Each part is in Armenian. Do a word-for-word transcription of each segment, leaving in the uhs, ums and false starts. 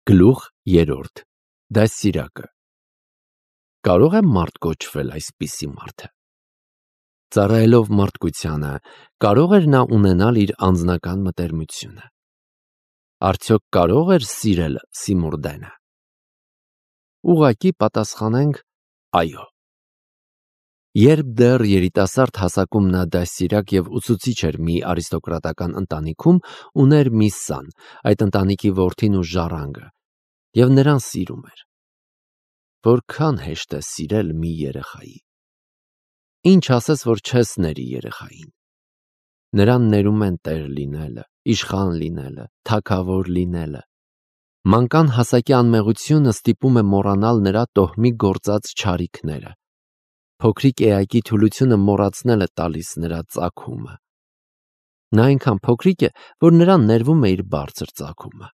Գլուխ երրորդ Դաստիարակը Կարող է մարդ կոչվել այսպիսի մարդը։ Ծառայելով մարդկությանը, կարող էր նա ունենալ իր անձնական մտերմությունը։ Արդյոք կարող էր սիրել Սիմուրդենը։ Ուղղակի պատասխանենք այո։ Երբ դեռ երիտասարդ հասակում նա դաստիարակ և ուսուցիչ էր մի արիստոկրատական ընտանիքում, ուներ մի սան, այդ ընտանիքի որդին ու ժառանգը, և նրան սիրում էր։ Որքան հեշտ է սիրել մի երեխայի։ Ինչ ասես, որ չես ների երեխային։ Նրան ներում են տեր լինելը, իշխան լինելը, թագավոր լինելը։ Մանկան հասակի անմեղությունը ստիպում է մոռանալ նրա տոհմի գործած չարիքները։ Փոքրիկ էակի թուլությունը մոռացնել է տալիս նրա ծագումը։ Նա այնքան փոքրիկ է, որ նրան ներվում է իր բարձր ծագումը։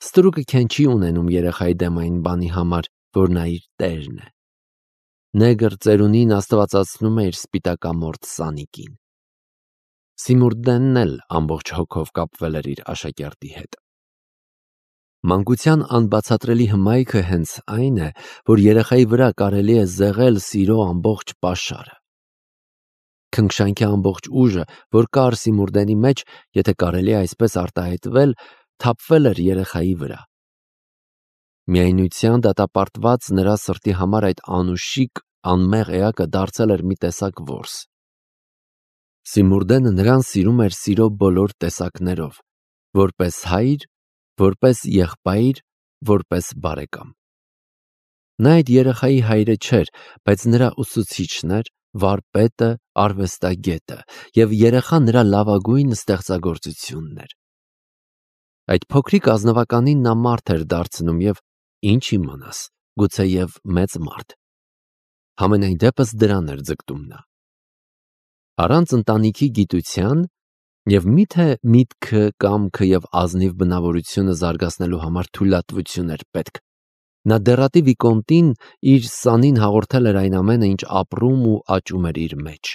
Ստրուկը քեն չի ունենում երեխայի դեմ այն բանի համար, որ նա իր տերն է։ Նեգր ծերունին աստվածացնում է իր սպիտակամորթ սանիկին։ Սիմուրդենն էլ ամբողջ հոգով կապվել էր իր աշակերտի հետ։ Մանկության անբացատրելի հմայքը հենց այն է, որ երեխայի վրա կարելի է զեղել սիրո ամբողջ պաշարը։ Քնքշանքի ամբողջ ուժը, որ կար Սիմուրդենի մեջ, եթե կարելի է այսպես արտահայտվել, թափվել էր երեխայի վրա։ Միայնության դատապարտված նրա սրտի համար այդ անուշիկ, անմեղ էակը դարձել էր մի տեսակ որս։ Սիմուրդենը նրան սիրում էր սիրո բոլոր տեսակներով, որպես հայր, որպես եղբայր, որպես բարեկամ։ Նա այդ երեխայի հայրը չէր, բայց նրա ուսուցիչն էր, վարպետը, արվեստագետը, և երեխան նրա լավագույն ստեղծագործությունն էր։ Այդ փոքրիկ ազնվականին նա մարդ էր դարձնում և, ինչ իմանաս, գուցեև մեծ մարդ։ Համենայն դեպս դրան էր ձգտում նա։ Առանց ընտանիքի գիտության և միթե միտքը, կամքը և ազնիվ բնավորությունը զարգացնելու համար թույլատվություն էր պետք։ Նա դեռատի վիկոնտին իր սանին հաղորդել էր այն ամենը, ինչ ապրում ու աճում էր իր մեջ։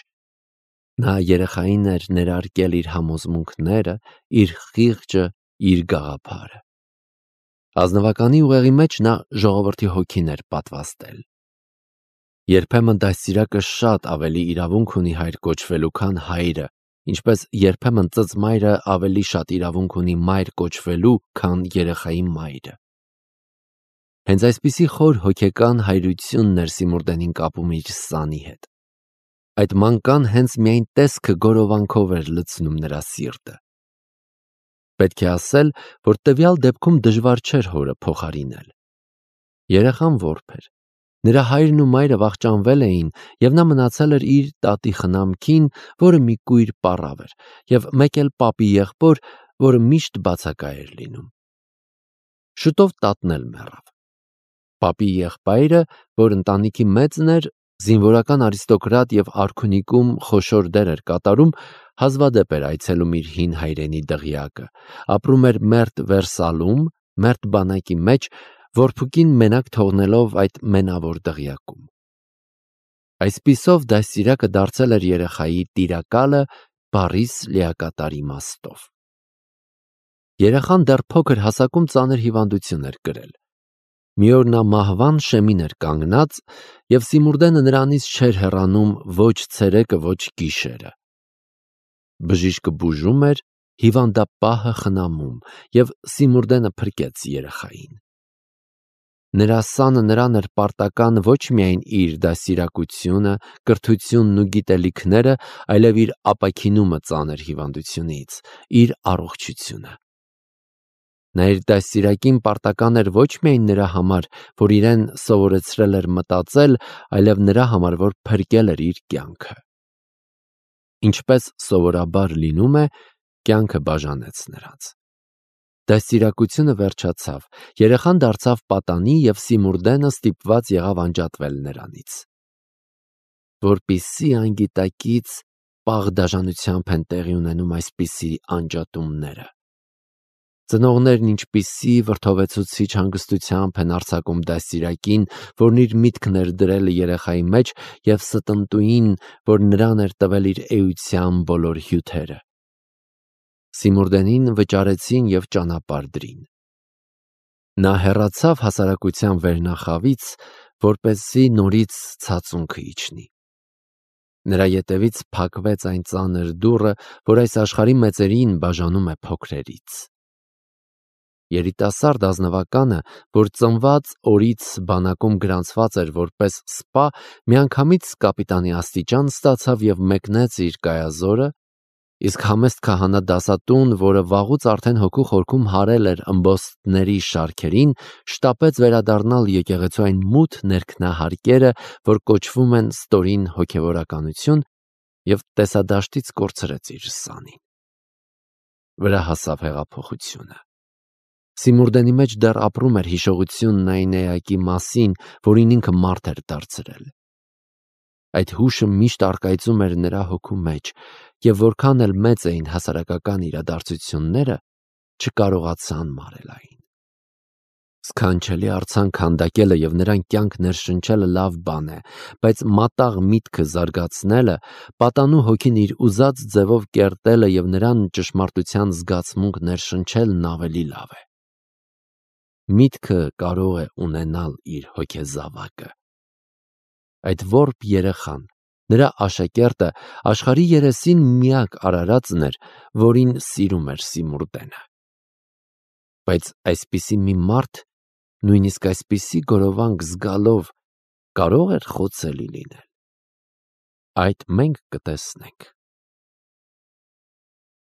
Նա երեխային էր ներարկել իր համոզմունքները, իր խիղճը, իր գաղափարը։ Ազնվականի ուղեղի մեջ նա ժողովրդի հոգին էր պատվաստել։ Երբեմն դաստիարակը շատ ավելի իրավունք ունի հայր կոչվելու, քան հայրը, ինչպես երբեմն ծծմայրը ավելի շատ իրավունք ունի մայր կոչվելու, քան երեխայի մայրը։ Հենց այսպիսի խոր հոգեկան հայրությունն էր Սիմուրդենին կապում իր սանի հետ։ Այդ մանկան հենց միայն տեսքը գորովանքով էր լցնում նրա սիրտը։ Պետք է ասել, որ տվյալ դեպքում դժվար չէր հորը փոխարինել։ Երեխան որբ էր։ Նրա հայրն ու մայրը վախճանվել էին, և նա մնացել էր իր տատի խնամքին, որը մի կույր պառավ էր, և մեկ էլ պապի եղբոր, որը միշտ բացակա էր լինում։ Շուտով տատն էլ մեռավ։ Պապի եղբայրը, որ ընտանիքի մեծն էր, զինվորական արիստոկրատ և արքունիքում խոշոր դեր էր կատարում, հազվադեպ էր այցելում իր հին հայրենի դղյակը, ապրում էր մերթ Վերսալում, մերթ բանակի մեջ, որփուկին մենակ թողնելով այդ մենավոր դղյակում։ Այսպիսով դաստիարակը դարձել էր երեխայի տիրակալը բառիս լիակատար իմաստով։ Երեխան դեռ փոքր հասակում ծանր հիվանդություն էր կրել։ Մի օր նա մահվան շեմին էր կանգնած, և Սիմուրդենը նրանից չէր հեռանում ոչ ցերեկը, ոչ գիշերը։ Բժիշկը բուժում էր, հիվանդապահը խնամում, և Սիմուրդենը փրկեց երեխային։ Նրա սանը նրան էր պարտական ոչ միայն իր դաստիարակությունը, կրթությունն ու գիտելիքները, այլև իր ապաքինումը ծանր հիվանդությունից, իր առողջությունը։ Նա իր դաստիարակին պարտական էր ոչ միայն նրա համար, որ իրեն սովորեցրել էր մտածել, այլև նրա համար, որ փրկել էր իր կյանքը։ Ինչպես սովորաբար լինում է, կյանքը բաժանեց նրանց։ Դաստիարակությունը վերջացավ, երեխան դարձավ պատանի և Սիմուրդենը ստիպված եղավ անջատվել նրանից։ Որպիսի անգիտակից պաղ դաժանությամբ են տեղի ունենում այսպիսի անջատումները։ Ծնողներն ինչպիսի վրդովեցուցիչ հանգստությամբ են արձակում դաստիարակին, որն իր միտքն էր դրել երեխայի մեջ, և ստընտուին, որ նրան էր տվել իր էության բոլոր հյութերը։ Սիմուրդենին վճարեցին և ճանապարհ դրին։ Նա հեռացավ հասարակության վերնախավից, որպեսզի նորից ցածունքը իջնի։ Նրա ետևից փակվեց այն ծանր դուռը, որ այս աշխարհի մեծերին բաժանում է փոքրերից։ Երիտասարդ ազնվականը, որ ծնված օրից բանակում գրանցված էր որպես սպա, միանգամից կապիտանի աստիճան ստացավ և մեկնեց իր կայազորը, իսկ համեստ քահանա դասատուն, որը վաղուց արդեն հոգու խորքում հարել էր ըմբոստների շարքերին, շտապեց վերադառնալ եկեղեցու այն մութ ներքնահարկերը, որ կոչվում են ստորին հոգևորականություն, և տեսադաշտից կորցրեց իր սանին։ Վրա հասավ հեղափոխությունը։ Սիմուրդենի մեջ դեռ ապրում էր հիշողությունն այն էակի մասին, որին ինքը մարդ էր դարձրել։ Այդ հուշը միշտ առկայծում էր նրա հոգու մեջ, և որքան էլ մեծ էին հասարակական իրադարձությունները, չկարողացան մարել այն։ Սքանչելի արձան քանդակելը և նրան կյանք ներշնչելը լավ բան է, բայց մատաղ միտքը զարգացնելը, պատանու հոգին իր ուզած ձևով կերտելը և նրան ճշմարտության զգացմունք ներշնչելն ավելի լավ է։ Միտքը կարող է ունենալ իր հոգեզավակը։ Այդ որբ երեխան, նրա աշակերտը, աշխարհի երեսին միակ արարածն էր, որին սիրում էր Սիմուրդենը։ Բայց այսպիսի մի մարդ, նույնիսկ այսպիսի գորովանք զգալով, կարո՞ղ էր խոցելի լինել։ Այդ մենք կտեսնենք։